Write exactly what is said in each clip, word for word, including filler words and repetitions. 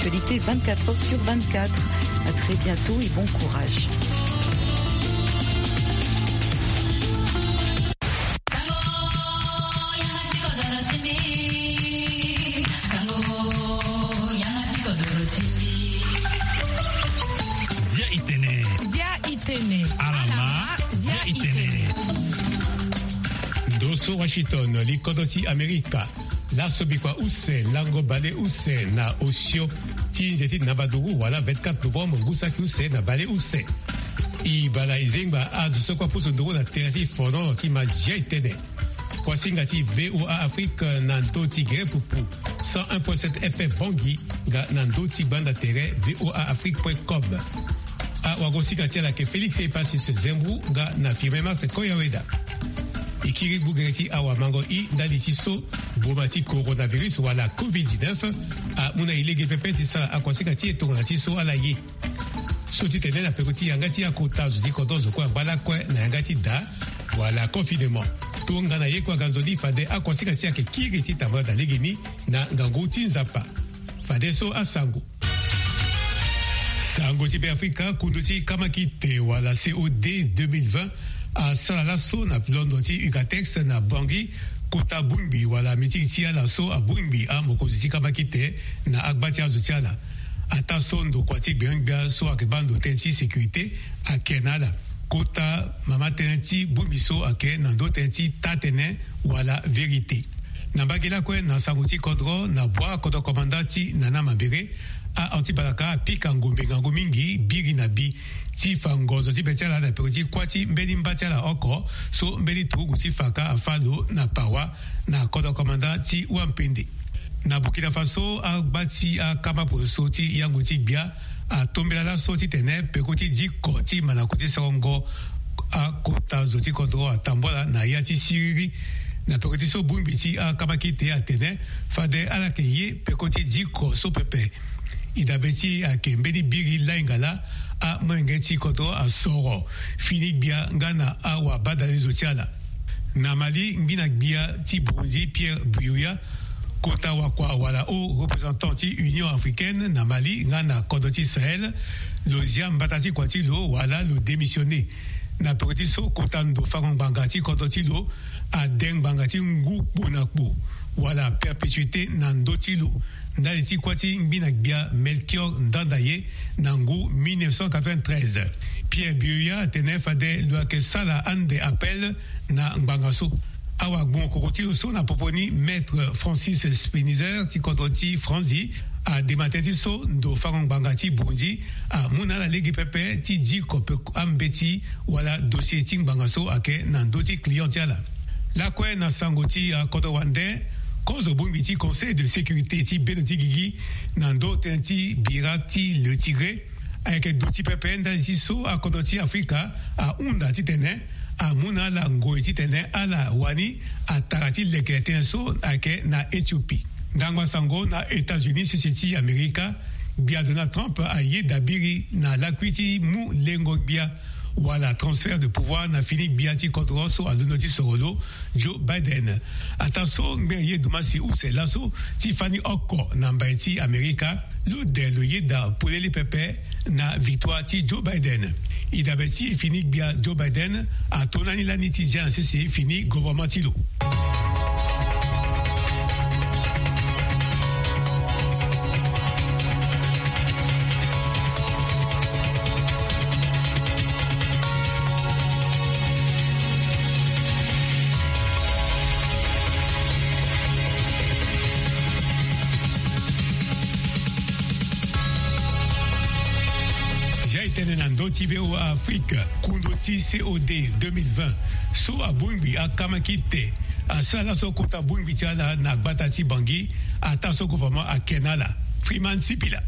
Actualité vingt-quatre heures sur vingt-quatre. À très bientôt et bon courage. Zia itene. Zia itene. Alama. Zia itene. Ndo so Washington, li kodro ti Amerika. Laso bikua use, lango bale use na osio ti nze ti nabaduru wala vingt-quatre novembre ngu saki use na bale use. E bala e zengba azo so kue apusu nduru na tere ti fono ti ma zia itene. Kuasinga ti VOA Afrique na ndö ti gere pupu, cent un point sept F M Bangui, nga na ndö ti gbanda tere voaafrique point com. Awagosinga ti ala ayeke Félix Epasis Zembou nga na Firmin Mars Koyaweda. E kiri gbu gere ti awamango i ndali ti so boma ti coronavirus wala covid dix-neuf amu na e lege pepe ti sara akuasinga ti e tongana ti so ala ye. So ti tene na peko ti yanga ti akota zo ti kodro zo kue angba lakue na yanga ti da wala confinement. Tongana ye kue aga nzoni fade akuasinga ti e ayeke kiri ti tambula na legeni na ngangu ti Nzapa. Fadeso asango. Sango ti Beafrika, kundu ti kamakite wala C O D deux mille vingt asara laso na londo ti Ucatex na Bangui, kota bongbi wala mitiki ti ala so abongbi amokonzi ti kamakite na agba ti azo ti ala. Ataa so ndokua ti gbengbe gbia so ayeke baa ndo tënë ti sécurité ayeke na ala. Kota mama tënë ti bongbi so ayeke na ndö tënë ti taa-tënë wala vérité. Na mbage lakue na sango ti kodro na bua kodro komanda ti Nana Mambere, ahon ti balaka apika ngombe ngangu mingi biri na bi ti fa ngonzo ti be ti ala na peko ti kuâ ti mbeni mba ti ala oko so mbeni turugu ti fa kâ afâ lo na Pawa na kodro komanda ti Wampende. Na Burkina Faso, agba ti akama poroso ti yango ti gbia atombela laso titene peko ti diko ti manako ti sarango akota zo ti kodro atambula na ya ti siriri. Na peko ti so bongbi ti akama kite atene fade ala yeke ye peko ti diko so pepe. E dabe ti e ayeke mbeni biri lainga laa amolenge ti kodro asoro fini gbia nga na awabadalezo ti ala. Na Mali, ngbina gbia ti Burundi Pierre Buyoya, kota wakua wala haut représentant ti Union africaine na Mali nga na kodro ti Sahel, lo zia mbata ti kua ti lo wala lo démissionner. Na peko ti so kota ndo fango ngbanga ti kodro ti lo ade ngbanga ti ngu kpo na kpo wala perpétuité na ndö ti lo, ndali ti kuâ ti ngbina gbia Melchior Ndanda ye na ngu mille neuf cent quatre-vingt-treize. Pierre Buyoya atene fade lo yeke sala ande appel na ngbanga so. Awagbongo koko ti lo so na popo ni Maître Francis Spinizer ti kodro ti Franzi adema tënë ti so ndo fango ngbanga ti Burundi amu na ala lege pepe ti diko pe ambeti wala dossier ti ngbanga so ayeke na ndö ti client ti ala. Lakue na sango ti akodro wande, kozo bongbi ti Conseil de sécurité ti bendo ti gigi na ndö tënë ti bira ti Le Tigré ayeke duti pepe ndali ti so akodro ti Afrika ahunda titene amu na ala ngoi titene ala wani atara ti leke tënë so ayeke na Éthiopie. Ngbangba sango na États-Unis sese ti Amerika, gbia Donald Trump ayeda biri na lakui ti mu lengo gbia wala transfert de pouvoir na fini gbia ti kodro so alondo ti soro lo, Joe Biden. Ataa so ngbene ye dumasi use laso ti fani oko na mbai ti Amerika, lo de lo yeda polele pepe na victoire ti Joe Biden. E dabe ti fini gbia Joe Biden ato na ni lani ti zia na sese fini gouvernement ti lo. Zia e tene na ndö ti VOA Afrique, kundu ti C O D deux mille vingt so abongbi akama kite asara laso kota bongbi ti ala na gbata ti Bangui, ataa so gouvernement ake na ala. Freeman Sipila.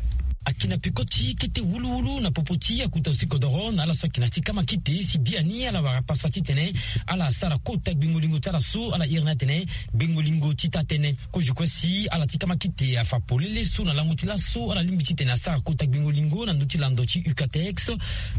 Ayeke na peko ti kete wuluwulu na popo ti akuta osikodoro na ala so ayeke na ti kamakite si biani ala wara pasa titene ala sara kota gbengo-lingo ti ala so ala iri ni atene gbengo-lingo ti taa-tënë. Kozo kue si ala ti kamakite afa polele so na lango ti laso ala lingbi titene asara kota gbengo-lingo na ndö ti lando ti ucatex.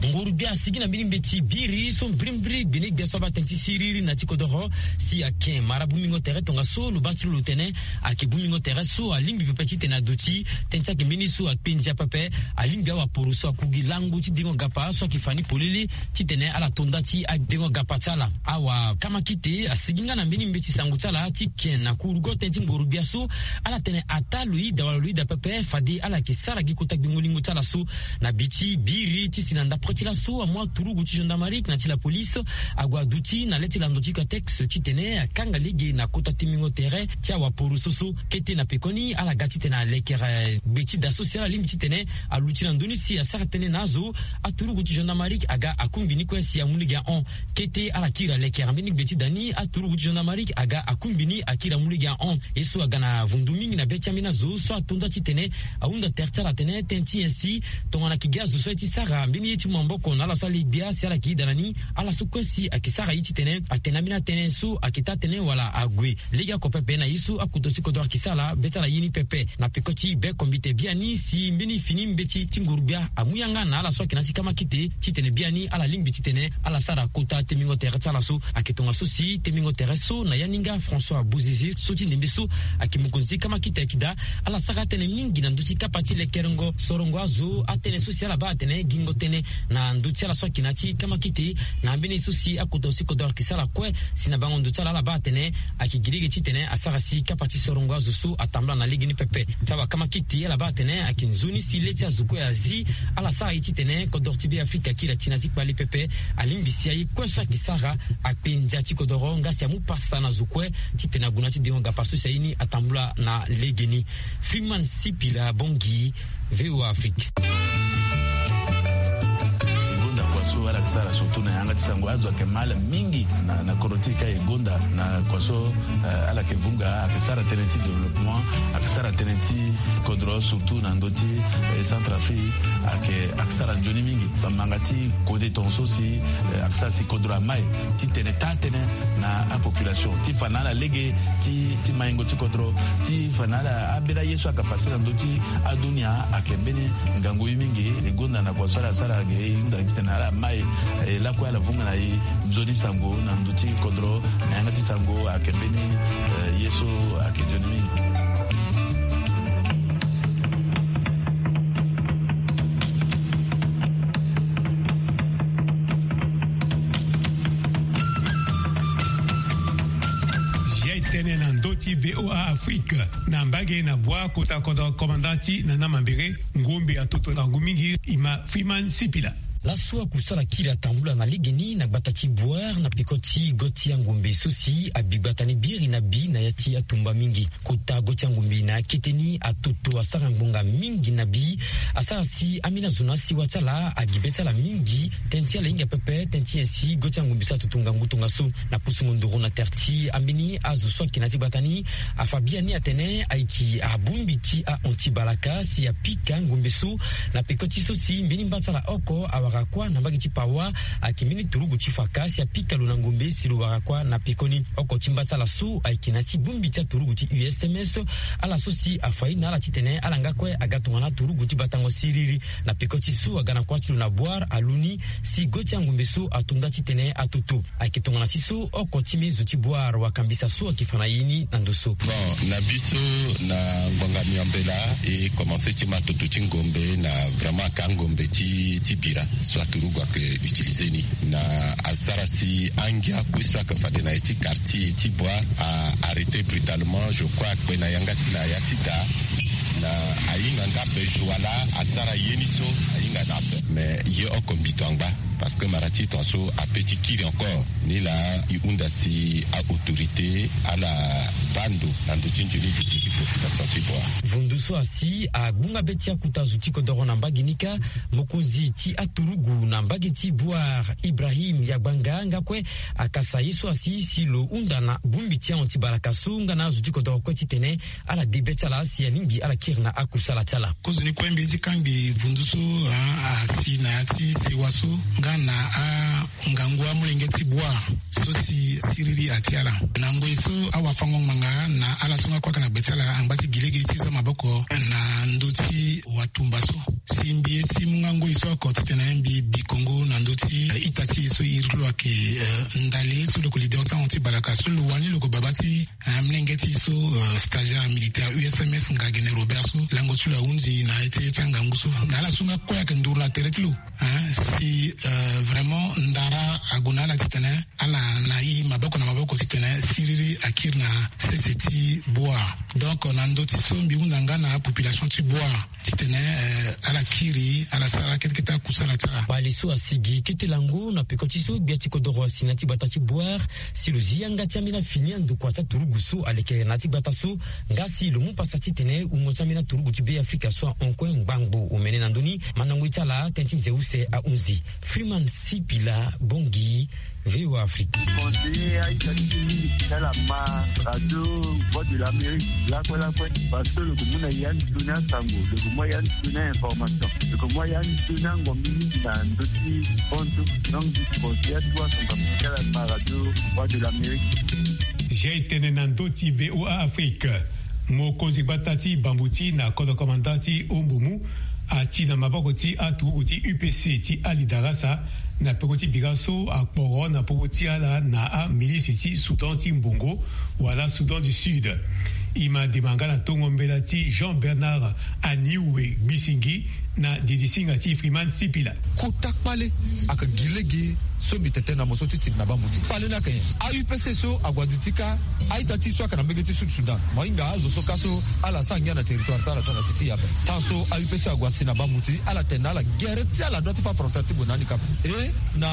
Nguru-gbia asigi na mbeni mbeti biri so mbirimbiri gbene-gbia so abaa tënë ti siriri na ti kodoro si ayeke mara bongbingo tere tongaso lo baa ti lo lo tene ayeke bongbingo tere so alingbi pepe titene aduti tënë ti ayeke mbeni so akpe ndia pepe. Alingbi awaporo so aku gi lango ti dengo gapa so ayeke fa ni polele titene ala to nda ti adengo gapa ti ala. Awakamakite asigi nga na mbeni mbeti sango ti ala ti ken na kurugo tënë ti nguru-gbia so ala tene ataa lo yida wala lo yida pepe fade ala yeke sara gi kota gbengo-lingo ti ala so. Na bi ti biri ti si na ndapre ti laso amu aturugu ti gendarmerie na ti lapolise ague aduti na le ti lando ti ucatex titene akanga lege na kota timbingo tere ti awaporo so so. Kete na pekoni ala ga titene alekere gbe ti da so si ala lingbi titene aluti na ndö ni si asara tënë na azo. Aturugu ti gendarmerie aga akungbi ni kue si amu lege ahon. Kete ala kiri alekere mbeni gbe ti da ni aturugu ti gendarmerie aga akungbi ni akiri amu lege ahon. Ye so aga na vundu mingi na be ti ambeni azo so ato nda titene ahunda tere ti ala atene tënë ti nyen si tongana ayeke gi azo so aye ti sara mbeni ye ti mu maboko na ala so ale-gbia si ala yeke yeda na ni. Ala so kue si ayeke sara ye titene atene ambeni atënë so ayeke taa-tënë wala ague. Legeoko pepe na ye so akuta osikodoro ayeke sara be ti ala ye ni pepe na peko ti be kombite biani si mbeni fini mbeti ti nguru-gbia amu yanga na ala so ayeke na ya ti kamakite titene biani ala lingbi titene ala sara kota timbingo tere ti ala so. Ayeke tongaso si timbingo tere so na ya ni nga François Bozizé so ti ndembe so ayeke mokonzi ti kamakite ayeke daa ala sara atënë mingi na ndö ti kapa ti lekerengo sorongo azo atënë so si ala baa atene gingo tënë na ndö ti ala so ayeke na ya ti kamakite. Na ambeni ye so si akuta osikodoro ayeke sara kue si na bango ndo ti ala ala baa atene ayeke gi lege titene asara si kapa ti sorongo azo so atambula na legeni pepe. Ti awakamakite ala baa atene ayeke nzoni si le ti azo kue azi ala sara ye titene kodoro ti Beafrika akiri ati na ya ti kpale pepe. Alingbi si aye kue so ayeke sara akpe ndia ti kodoro nga si amu pasa na zo kue titene ague na ya ti dengo gapa so si aye ni atambula na legeni. Freeman Sipila Bongi, VOA Afrique. E gonda kua so ala yeke sara surtout na yanga ti sango azo ayeke mal mingi na, na kodro ti e ka e gonda na kua so, eh, ala yeke vunga ayeke sara tënë ti développement, ayeke sara tënë ti kodro surtout na ndö ti, eh, Centrafrique ayeke, ayeke sara nzoni mingi. Bamanga ti kode tongaso si, eh, ayeke sara si kodro amai titene taa-tënë na apopulation ti fa na ala lege ti, ti maingo ti kodro ti fa na ala ambeni aye so ayeke pase na ndö ti adunia ayeke mbeni ngangu ye mingi. E gonda na kua so ala sara ge e hunda titene ala mai, eh, lakue ala vunga na e nzoni sango na ndö ti kodro na yanga ti sango ayeke mbeni, eh, ye so ayeke nzoni mingi. Ye tënë na ndö ti VOA Afrique na mbage na bua kota kodro komanda ti Nana Mambere, ngombe atoto ngangu mingi, e ma Freeman Sipila. Laso akusala kiri atambula na legeni na gbata ti Bouar na peko ti go ti angombe so si abi gbata ni biri na bi na ya ti atumba mingi. Kota go ti angombe na akete ni atoto asara ngbonga mingi na bi. Asara si ambeni azo na asiwa ti ala agi be ti ala mingi. Tënë ti ala hinga pepe, tënë ti nyen si go ti angombe so atoto ngangu tongaso. Na pusu mondoro na tere ti ambeni azo so ayeke na ya ti gbata ni afa biani atene ayeke abongbi ti ahon ti balaka si apika ngombe so. Na peko ti so si mbeni mba ti ala oko awara kuâ na mbage ti Pawa, ayeke mbeni turugu ti faka si apika lo na ngombe si lo wara kuâ na pekoni. Oko ti mba ti ala so ayeke na ya ti bongbi ti aturugu ti U S M S. Ala so si afa ye na ala titene ala nga kue aga tongana aturugu ti batango siriri. Na peko ti so aga na kuâ ti lo na Bouar alu ni si go ti angombe so ato nda titene atoto. Ayeke tongana ti so oko ti mbeni zo ti Bouar wakambisa so ayeke fa na ye ni na ndo so. Bon, na biso, na ngbanga miambela, e commencé ti ma toto ti ngombe na vraiment aka ngombe ti, ti bira so aturugu ayeke utiliser ni. Na asara si angia kue so ayeke fade na ya ti quartier ti Bouar a arrêté brutalement, je crois, akpe na yanga ti na ya ti da. Na ahinga nga ape joie laa asara ye ni so ahinga na ape. Mais ye oko mbito angba. Parce que mara ti tongaso ape ti kiri encore. Ni laa e hunda si a-autorité ala baa ndo na ndö ti nzoni gi ti population ti Bouar. Vundu so asi agbunga be ti akuta zo ti kodoro na mbage ni kâ. Mokonzi ti aturugu na mbage ti Bouar, Ibrahim Yagbanga, nga kue akasa ye so asi si lo hunda na bongbi ti ahon ti balaka so nga na azo ti kodoro kue titene ala de be ti ala si alingbi ala kiri na akusala ti ala. Kozoni kue mbi ye ti kangbi vundu so, ah, asi na ya ti sewa so nga na angangu amolenge ti Bouar so si siriri atia ala. Na ngoi so awafango-ngbanga na ala so nga kue ayeke na gbe ti ala angba ti gi lege ti za maboko na ndö ti watumba so. Si mbi ye ti mu nga ngoi so oko titene mbi bi kongo na ndö ti, eh, ita ti e so iri ti lo ayeke, eh, ndali so lo yeke leader ti ahon ti balaka so lo wani lo yeke baba ti, eh, amolenge ti e so, eh, stagiaire militaire U S M S Ngagene Robert so lango ti lo ahunzi na ete ti angangu so. Na ala so nga kue ayeke nduru na tere ti lo, hein, si, euh, vraiment ndara ague na ala titene ala na e maboko na maboko titene siriri akiri na sese ti Bouar. Donc na ndö ti so mbi hunda nga na apopulation ti Bouar titene, euh, ala kiri, ala sara kete kete akusala ti ala. Kpale so asigi kete lango na peko ti so gbia ti kodoro asi na ya ti gbata ti Bouar si lo zi yanga ti ambeni afini andokua ti aturugu so aleke na ya ti gbata so. Nga si lo mu pasa titene wungo ti ambeni aturugu ti Be Afrika so ahon kue ngbangbo omene na ndö ni. Mandango ye ti ala tënë ti nze use ahunzi. Freeman Sipila Bongi, V O A Afrique. Conseiller aita ti mingi ti ala ma radio Voix de l'Amérique lakue lakue, parce que lo yeke mu na ya ni sioni asango, lo yeke mu ya ni sioni a-information, lo yeke mu ya ni sioni angombi mingi na ndö ti fonds so. Donc conseiller atu asango ti ala ma radio Voix de l'Amérique. Jai tene na ndö ti V O A Afrique. Mokonzi gbata ti Bambuti na kodro komanda ti Ombomu ati na maboko ti aturugu ti U P C ti Ali Darasa na peko ti bira so akporo na popo ti ala na amilisi ti Soudan ti Mbongo wala Soudan du Sud. E ma dema nga na tongo mbela ti Jean Bernard Aniwe Gbisingi na didisinga ti Freeman Sipila. Kota kpale ayeke gi lege so mbi tene tënë na mo so ti tene na Bambuti. Kpale ni ayeke nyen? A-U P C so ague aduti kâ a-ita ti e so ayeke na mbage ti Sud Soudan. Mo hinga azo so kâ so ala sara ngia na territoire ti ala tongana ti ti e ape. Tan so a-U P C ague asi na Bambuti, ala tene na ala gere ti ala doit ti fâ frontière ti gue na handicap. E na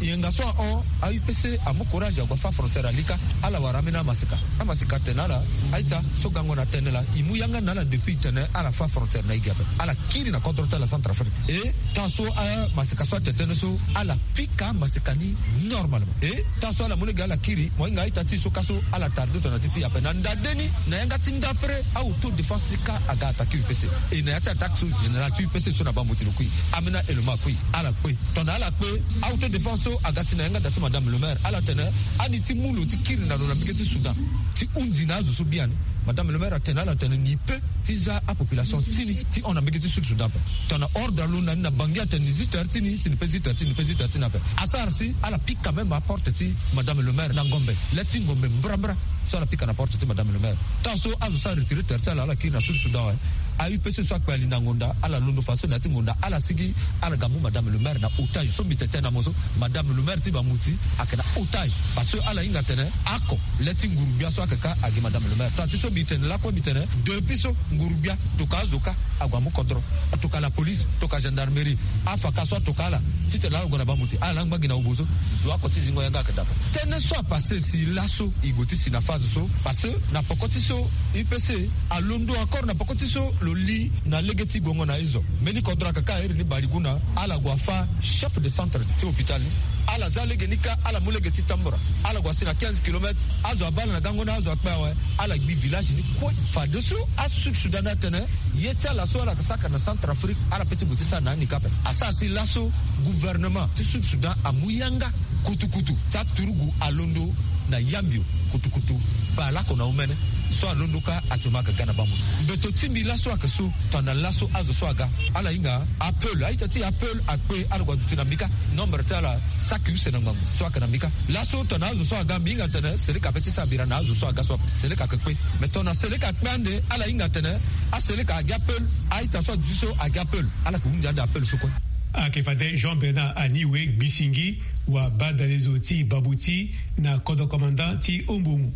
yenga so ahon, a-U P C amu courage ague afâ frontière ali kâ. Ala wara ambeni amaseka. Amaseka atene na ala, a-ita so gango na tënë laa, e mu yanga na ala depuis tene ala fâ frontière na e gi ape. Ala kiri na kodro ti ala Centrafrique. E tan so amaseka so atene tënë so, ala pika amaseka ni normalement. E tan so ala mu lege ala kiri, mo hinga a-ita ti e so kâ so ala tarde tongana ti ti e ape. Na ndade ni, na yanga ti ndapre, a-autodéfense ti kâ aga attaqué U P C. E na ya ti attaque so, général ti U P C so na Bambuti lo kui. Ambeni a-élément akui, ala kpe. Tongana ala kpe, a-autodéfense so aga si na yanga da ti madame le maire. Ala tene, ani ti mu lo ti kiri na lo na mbage ti Soudan ti hunzi na azo so biani. Madame le maire atene na ala tene ni pe ti za apopulation ti ni ti hon na mbage ti Sud Soudan ape. Tongana ordre alondo na ni na Bangui atene ni zi tere ti ni, si ni pe zi tere ti ni, ni pe zi tere ti ni ape. Asara si ala pika même aporte ti madame le maire na ngombe, le ti ngombe mbrambra. So ala pika na porte ti madame le maire. Tan so azo so aretire tere ti ala, ala kiri na Sud Soudan awe. A-U P C so akpe alinda ngonda, ala londo fadeso na ya ti ngonda, ala sigi, ala ga mu madame le maire na otage. So mbi tene tënë na mo so, madame le maire ti Bambuti ayeke na otage. Parce que ala hinga tene oko, le ti nguru-gbia so ayeke kâ agi madame le maire. Tongana ti so mbi tene lakue mbi tene, depuis so nguru-gbia tokua azo kâ ague amu kodro, tokua la police, tokua gendarmerie, afaka so atokua ala titene ala gue na Bambuti, ala laa ngba gi na obo so, zo oko ti zingo yanga ayeke daa. Tënë so apassé si laso e gue ti si na phase so, parce que na poko ti so U P C alondo encore na poko ti so lo li na lege ti guengo na ezo. Mbeni kodro ayeke kâ iri ni Bariguna, ala gue afâ chef de centre ti hôpital ni. Ala za lege ni kâ, ala mu lege ti tambura, ala gue asi na quinze kilomètres. Azo abaa ala na gango ni, azo akpe awe, ala gbi village ni kue. Fadeso a-Sud Soudan atene ye ti ala so ala yeke saka na Centrafrique, ala pe ti gue ti sara na handicap ape. Asara si laso gouvernement ti Sud Soudan amu yanga kutukutu ti aturugu alondo na Yambio, kutukutu baleoko na omene. So alondo kâ actuellement ayeke ga na Bambuti. Mbeto ti mbi laso ayeke so, tongana laso azo so aga, ala hinga Apple, a-ita ti Apple akpe, ala gue aduti na mbi kâ. Nombre ti ala saki use na ngbangbo so ayeke na mbi kâ. Laso tongana azo so aga, mbi hinga tene Seleka ape ti sara bira na azo so aga so. Seleka ayeke kpe. Mais tongana Seleka akpe ande, ala hinga tene aSeleka agi Apple, a-ita so aduti so agi Apple. Ala yeke hunzi ande Apple so kue. Ayeke fade Jean Bernard Aniwe Gbisingi, wa badalezo ti Bambuti na kodro commandant ti Ombomu.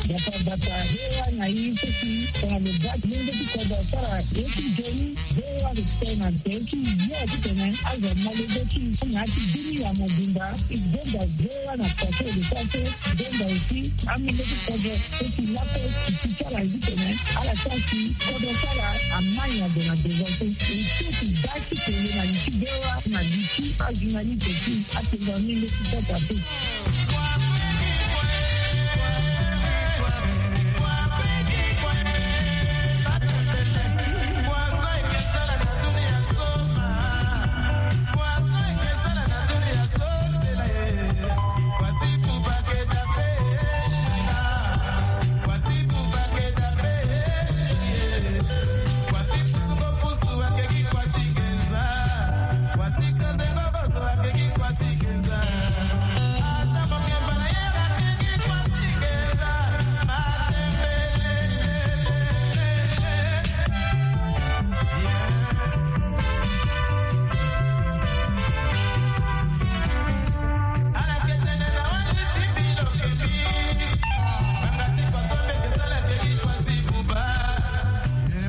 Bata bata hewa na i so si tongana lo baa ti lenge ti kodro asara ye ti nzoni. Hewa lo tene na nze ti yo ti tene azo amolenge ti na ya ti bini ya mobimba. I zonza hewa na pase lo sara so zonza aussi amolenge ti kodro so si lape ti ti sara ye ti tene ala sara si kodro sara amani ado na devant so. E so ti baa ti tene na li ti hewa na li ti ajournaliste ti atenga amolenge ti kodro ape.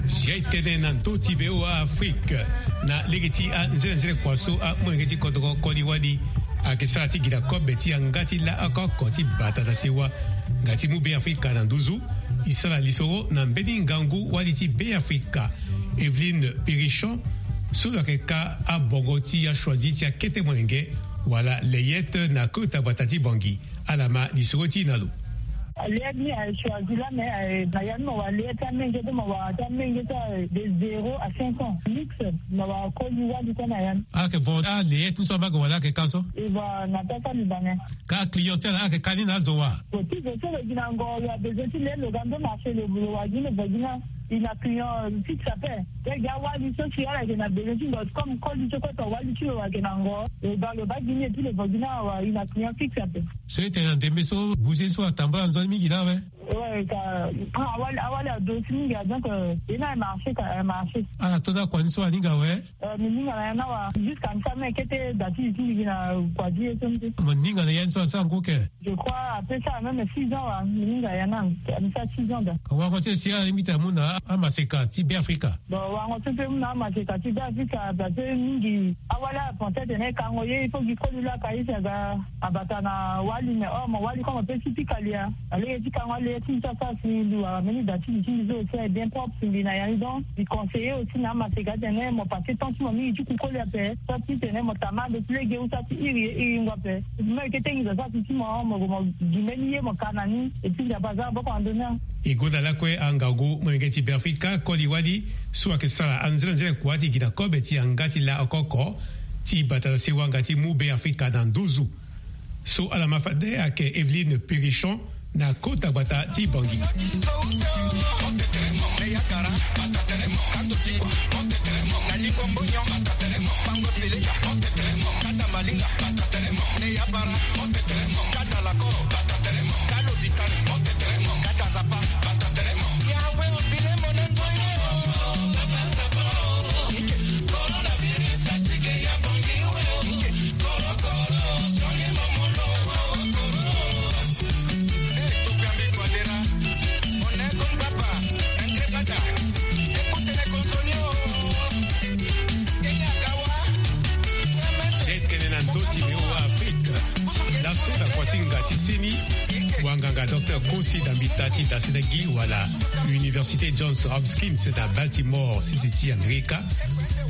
Zia e tene na ndö ti V O A Afrique. Na lege ti anzenanzene kua so amolenge ti kodro koli wali ayeke sara ti gi na kobe ti yanga ti la oko oko ti batata sewa nga ti mu Beafrika na nduzu. E sara lisoro na mbeni ngangu wali ti Beafrika, Evelyne Pirichon, so lo yeke ka abongo ti achoisi ti akete molenge wala layette na kota gbata ti Bangui. Ala ma lisoro ti e na lo. Layette ni aye choisi la, mais aye na ya ni mo wara layette ti amenge ti mo wara ti amenge ti aye de zéro à cinq ans. Mix mo wara koli wali kue na ya ni. Ala yeke vo alayette ni so amage wala ala yeke ka so? E vo na pesa libanais. Ka client ti ala ala yeke ka ni na azo wa? Bon, ti zo so lo gi na ngo lo abezoin ti le lo ga ndo marché lo wara gi ni lo vo gi na. E na client fixe ape. Lege awali so si ala yeke na besoin ti ngo comme koli so kue to wali ti lo ayeke na ngo, lo baa lo baa gi ni et puis lo vo gi ni awa, e na client fixe ape. So e tene na ndembe so bouger so atambula nzoni mingi laa awe. Ouais, ka awali awali ado si mingi a, donc e na marché ka marché. Ala to na kua ni so aninga awe. Mbi ninga na ya ni awa jusqu'à nsa me kete da ti li ti mbi gi na kua ti ye so ni te. Mo ninga na ya ni so asara ngu ke? Je crois apesa même six ans wa, mbi ninga ya ni, mbi sara six ans da. Wango ti e si alingbi ti amu na amaseka ti Beafrika? Bon, wango so mpe mu na amaseka ti Beafrika parce que mingi awali apense atene e kango ye, il faut gi koli laa ka ye si aga abata na wali, mais or mo wali comme ape si pika lia. Na lege ti kango ale ye ti mbi so asara si mbi wara mbeni da ti li ti mbi so aussi aye bien propre si mbi na ya ni. Donc mbi conseiller aussi na amaseka atene mo passer temps ti mo mingi ti ku koli ape. So ti tene mo tama ndo ti lege ou so ti iri ye iri ngu ape. Mo yeke tengi zo so ati ti mo, mo mo gi mbeni ye mo ka na ni. Et puis Nzapa aza boko na ndoni. E gonda lakue angangu molenge ti Beafrika koli wali so ayeke sara anzenanzene kua ti gi na kobe ti yanga ti la oko oko ti batata sewa nga ti mu Beafrika na nduzu. So ala ma fade ayeke Evelyne Pirichon na kota gbata ti Bangui. Tene na ndö ti V O A Afrique. Laso na kuasinga ti seni, wanganga Docteur Kosi Dambita ti Dasenegi wala Université Johns Hopkins na Baltimore, sese ti Amerika,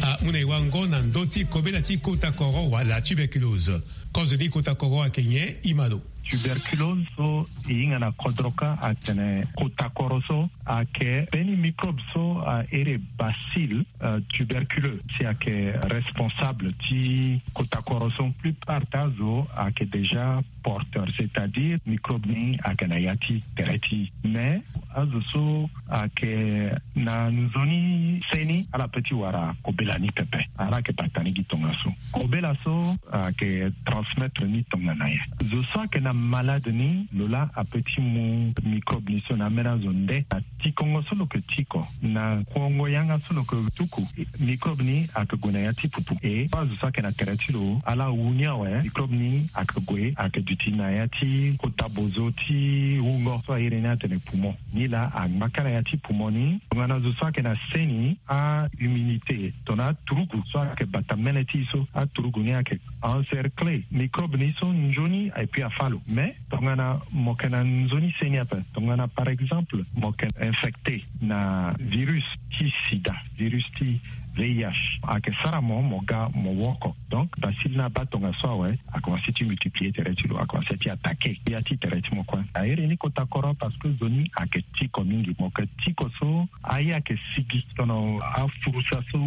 amu na e wango na ndö ti kobela ti kota koro wala tuberculose. Kozo ni kota koro ayeke nyen? I ma lo. Tuberculose so e hinga na kodro kâ atene kota koro so ayeke mbeni microbe so a iri bacille, euh, tuberculeux si ayeke responsable ti kota koro so. Plupart ti azo ayeke déjà porteur, c'est-à-dire microbe ni ayeke na ya ti tere ti. Mais azo so ayeke na nzoni seni, ala peut ti wara kobela ni pepe. Ala yeke bata ni gi tongaso. Kobela so ayeke transmettre ni tongana nyen? Zo so ayeke na Malade ni lo laa ape ti mu microbe ni so na ambeni azo nde na tikongo so lo yeke tiko na kuongo yanga so lo yeke tuku. Microbe ni ayeke gue na ya ti pupu e so azo so ayeke na tere ti lo ala awu ni awe. Microbe ni ayeke gue ayeke duti na ya ti kota bozo ti wungo so airi ni atene poumon. Ni laa angba kâ na ya ti poumon ni. Tongana zo so ayeke na se ni ahumidité tongana aturugu so ayeke bata mene ti e so aturugu ni ayeke encerclé microbe ni so nzoni et puis afa lo. Mais tongana mo yeke na nzoni se ni ape, tongana par exemple mo yeke infecté na virus ti sida, virus ti V I H, ayeke sara mo mo ga mo woko. Donc bacille ni abaa tongaso awe, akomanse ti multiplier tere ti lo, akomanse ti attaqué ya ti tere ti mo kue. Airi ni kota koro parce que zo ni ayeke tiko mingi. Mo yeke tiko so aye ayeke sigi tongana afurusa so,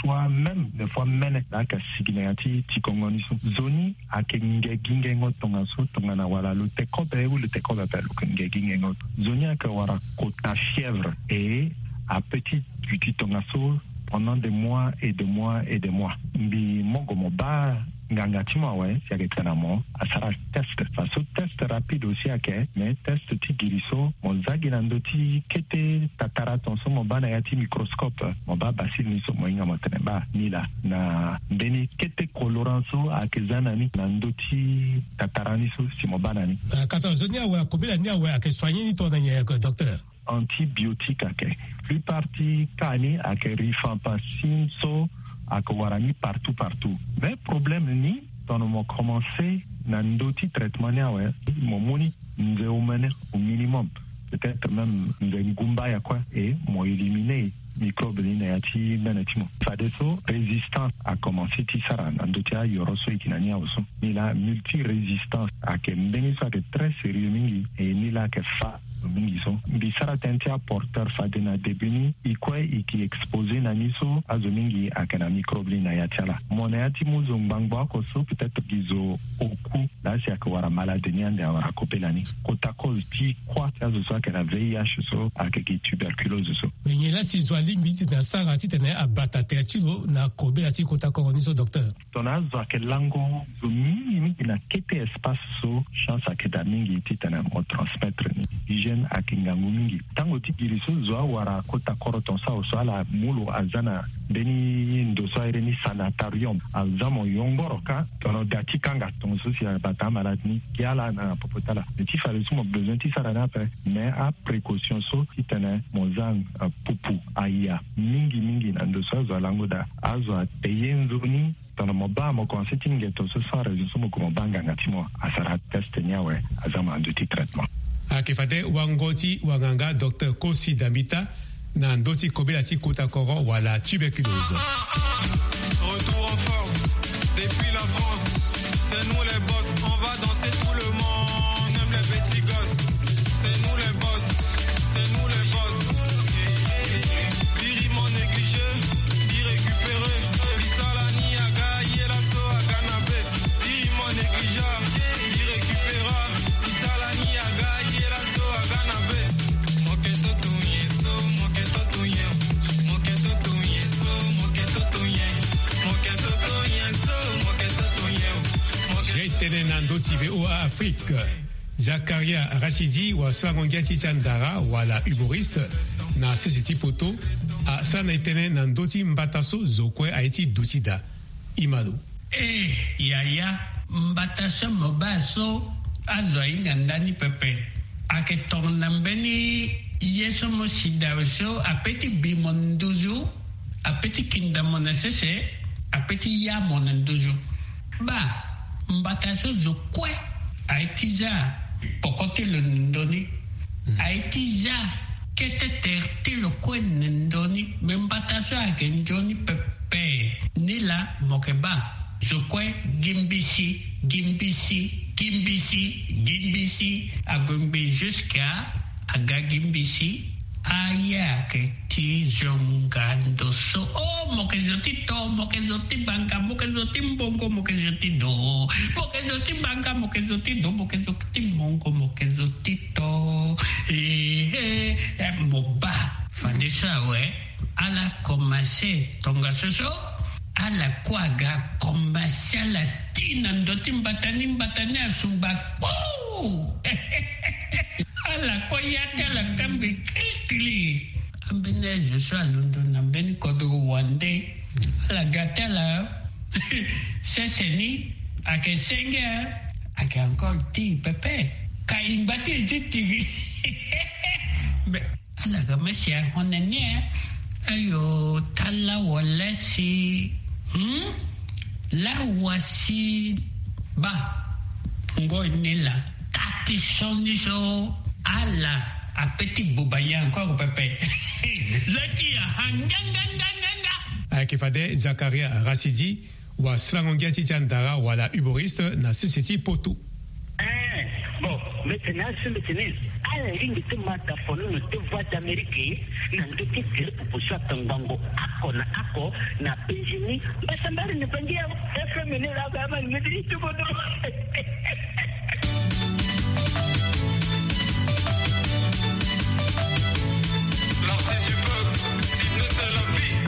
soit même des fois mene, ayeke sigi na ya ti tikongo ni so. Zo ni ayeke nge gi ngengo tongaso tongana wala lo te kobe ou lo te kobe ape lo yeke nge gi ngengo. Zo ni ayeke wara kota fièvre e ape ti duti tongaso pendant des mois et des mois et des mois. Mbi mo gue mo baa nganga ti mo awe si ayeke tene na mo asara test. Faso test rapide aussi ayeke, mais test ti giri so mo za gi na ndö ti kete tatara ton so mo baa na ya ti microscope, mo baa bacille ni so mo hinga mo tene baa ni laa na mbeni kete colorant so ayeke za na ni na ndö ti tatara ni so si mo baa na ni. Kata zo ni awe akobela ni awe ayeke soigné ni tongana nyen, docteur? Antibiotique ayeke. Plupart ti cas ni ayeke rifampicine so ayeke wara ni partout partout. Mais problème ni tongana mo commencé na ndö ti traitement ni awe, mo mu ni nze omene au minimum, peut-être même nze ngumba ya kue, e mo éliminé microbe ni na ya ti mene ti mo. Fadeso résistance akomanse ti sara na ndö ti ayoro so e yeke na ni awe so. Ni laa multirésistance ayeke mbeni so ayeke très sérieux mingi. E ni laa ayeke fa mingi so mbi sara tënë ti aporteur fade na début ni, e kue e yeke exposé na ni so azo mingi ayeke na microbe ni na ya ti ala. Mo na ya ti mu zo ngbangbo oko so peut-être gi zo oku laa si ayeke wara malade ni ande awara kobela ni. Kota cause ti kuâ ti azo so ayeke na V I H so ayeke gi tuberculose so. Me nyen laa si zo alingbi titene asara titene abata tere ti lo na kobela ti kota koro ni so, docteur? Tongana azo ayeke lango zo mingi mingi na kete espace so, chance ayeke daa mingi titene mo transmettre ni. Hygiène ayeke ngangu mingi. Tango ti giri so zo awara kota koro ton so awe so ala mu lo aza na mbeni ndo so airi ni sanatorium, aza mo yongoro kâ tongana da ti kanga tongaso si abata amalade ni, gi ala na popo ti ala. Me ti fade so mo besoin ti sara ni ape, mais aprécaution so titene mo za, euh, pupu aya mingi mingi na ndo so azo alango daa. Azo apayer nzoni. Tongana mo baa mo commencé ti ngeto so sans raison so mo gue mo baa nganga ti mo asara test ni awe, aza mo na ndö ti traitement. Ayeke fade wango ti wanganga docteur Kosi Dambita na ndö ti kobela ti kota koro wala tuberculose. Retour en force depuis la France. C'est nous les boss, on va danser tout le monde, même les petits gosses. C'est nous les boss, c'est nous les boss. Biri mo négligé, bi récupéré. Bisala ni aga, ye la so aga na be. Biri mo négligé, bi récupéra. Bisala ni aga, ye la so aga na be. Moke toto ye so, moke toto ye. Moke toto ye so, moke toto ye. Moke toto ye so, moke toto ye. Moke toto ye. Tene na ndö ti V O A Afrique. Zakaria Rachidi wala sarango ngia ti ti andara wala humoriste na sese ti poto asara na e tënë na ndö ti mbata so zo kue aye ti duti daa. Imalo. Eh, yaya, mbata so mo baa so azo ahinga ndani pepe. Ayeke tongana mbeni ye so mo si daa so ape ti bi mo nduzu, ape ti kinda mo na sese, ape ti ya mo na nduzu. Baa, mbata so zo kue aye ti za poko ti lo na ndö ni. Aye ti za kete tere ti lo kue na ndö ni. Me mbata so ayeke nzoni pepe. Ni laa mo yeke baa zo kue gi mbisi, gi mbisi, gi mbisi, gi mbisi. Ague ngbe jusqu'à aga gi mbisi. Aye ayeke ti zonga ndo so. Oh, mo yeke zo ti to, mo yeke zo ti banga, mo yeke zo ti mbongo, mo yeke zo ti do. Mo yeke zo ti banga, mo yeke zo ti do, mo yeke zo ti mbongo, mo yeke zo ti to. Eh, eh, eh, mo baa. Fade so awe, ala komanse tongaso so. Ala kue aga komanse ala ti na ndo ti mbata ni, mbata ni asungba kpo. Ala kue ya ti ala kambi kilikili. Ambeni azo so alondo na mbeni kodro wande, ala ga ti ala sese ni, ayeke senge, ayeke encore ti pepe. Ka e ngba ti e ti tiri. Mais ala ga mesi ahon na ni. Ayo, tala wala si. Hmm? La wasi ba. Ngoi ni la. Tati soni so. Ala. Apeti buba ya encore pepe. Laki ya ha nga nga nga nga nga. Ayeke fade Zakaria Rasidi, wa slango ngia ti ti andara wala humoriste na sese ti poto. Eh, bon, mbetene asu mbetene. Ala lingbi ti mata fono na ti Voix d'Amérique na ndö ti tere popo so atongbango ako na ako na Benjini. Mbasambari na bangi ya F M ni la ba ma ni medi ti bodo. L'artiste du peuple, Sydney, c'est la vie.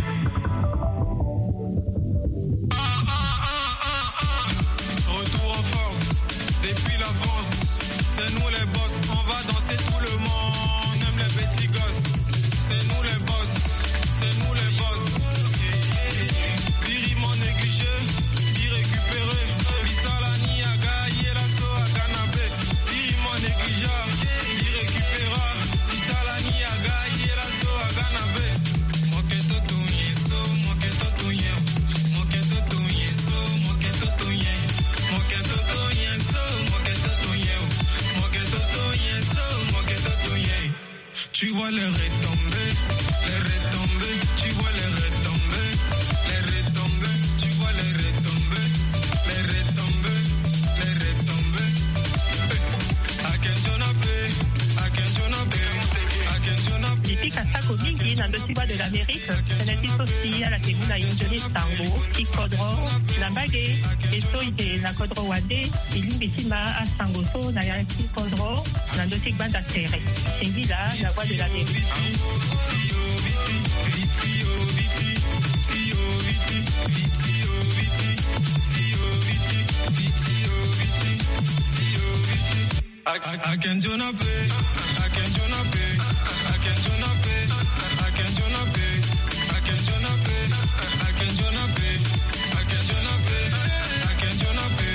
Ah, ah, ah, ah, ah. Retour en force, depuis la France. C'est nous les boss, on va danser tout le monde. Même les petits gosses, c'est nous les boss, c'est nous les boss. Biri mon négligé, bi récupéré. Bisala ni aga, yela so aga na be. Biri mon négligé, bi récupéra. Bisala ni aga, yela so aga na be. Moke toto ye so, moke toto ye. Moke toto ye so, moke toto ye. Moke toto ye so, moke toto ye. Moke toto ye so, moke toto ye. Tu vois les retombées, les retombées, tu vois les retombées, les retombées, tu vois les retombées, les retombées, les retombées. Eh, akenzo na pe, akenzo na pe, akenzo na pe. Ti kasako mingi na ndö ti Voix de l'Amérique, tënë ti so si ala yeke mu na e nzoni sango ti kodro na mbage. E so e yeke na kodro wande, e lingbi ti ma asango so na ya ti kodro na ndö ti gbanda tere. Singila na Voix de l'Amérique. Ak-, ak-, akenzo na pe, akenzo na pe, akenzo na pe, akenzo na pe, akenzo na pe, akenzo na pe, akenzo na pe, akenzo na pe.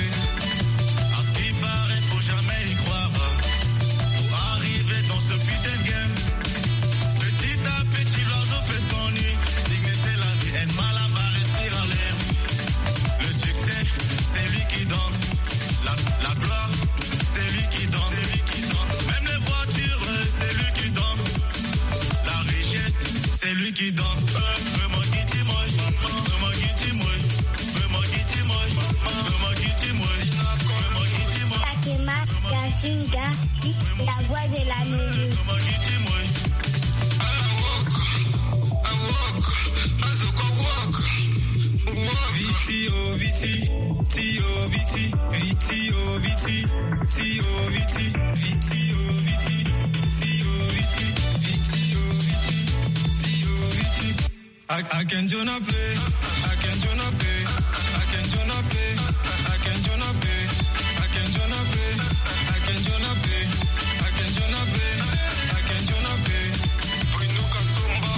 À ce qui paraît, faut jamais y croire. Pour arriver dans ce putain de game, petit à petit, l'oiseau fait son nid. Signer, c'est la vie, un malabar respire à l'air. Le succès, c'est lui qui donne. La, la gloire, c'est lui qui donne. C'est lui qui donne. Même les voitures, c'est lui qui donne. La richesse, c'est lui qui donne. Vraiment, qui dit moi, vraiment, qui dit moi, vraiment, qui dit moi, vraiment, qui dit moi, vraiment, qui dit moi. Fatima Yasinga, la voix de la musique. Viti, oh, viti, ti, oh, viti, viti, oh, viti, ti, oh, viti, viti, oh, viti, ti, oh, viti, viti, oh, viti, ti, oh, viti. Ak-, akenzo na pe, akenzo na pe, akenzo na pe, akenzo na pe, akenzo na pe, akenzo na pe, akenzo na pe, akenzo na pe. Bruno Kasomba,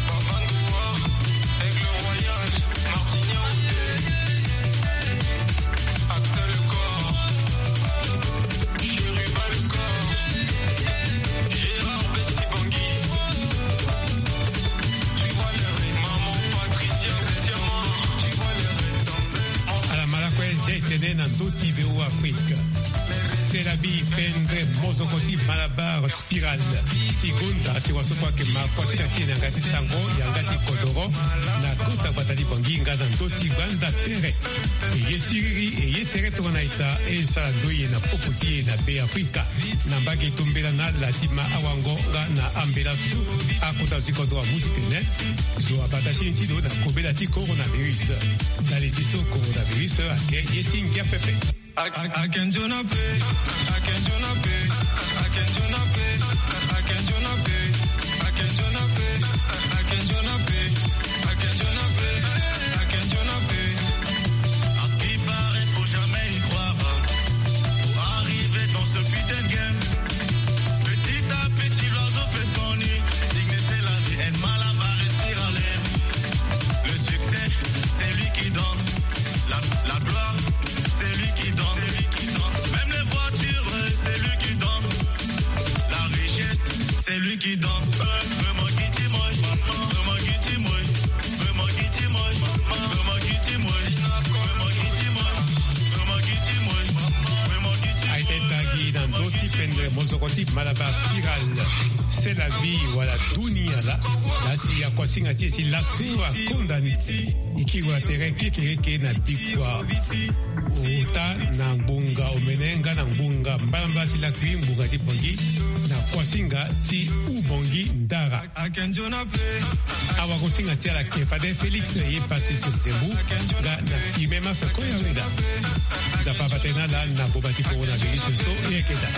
Baba Ndoua, Aigle Royal, Martinia Houdé, Axel Corps, Chérubin le Corps, Gérard Betsy Bangui. Tu vois les retombées, maman Patricia Diamant. Tu vois les retombées. Ala mala kue zia e tene na ndö ti V O Afrique. C'est la vie, pendre mozoko ti Malabar Spiral. Ti gonda si waso kue ayeke ma kosika ti e na yanga ti sango, yanga ti kodoro, na kota gbata ti Bangui nga na ndö ti gbanda tere. E ye siriri, e ye tere tongana ita, e sara ndoye na popo ti e na Be Afrika. Na mbage tombela na ala ti ma awango nga na ambela so akota zo ti kodro amu ti tene zo abata seni ti lo na kobela ti coronavirus. Ndali ti so coronavirus ayeke ye ti ngia pepe. Ak-, ak-, akenzo na pe, akenzo na pe, akenzo na pe, akenzo na pe, akenzo na pe, akenzo na pe, akenzo na pe, akenzo na pe. À ce qui paraît, faut jamais y croire. C'est la vie, wala dunia laa. Laa si akuasinga ti e ti laso akonda ni, e kiri wala tere kekereke na bikua ota na ngbonga omene nga na ngbonga mbalambala ti lakui ngbonga ti Bangui, na kuasinga ti Ubangui Ndara. Awagosinga ti ala ke fade Félix ye pasi Senzembu nga na Fime Masa Koya Weda. Nzapa abatena ala na boma ti coronavirus so ye keda.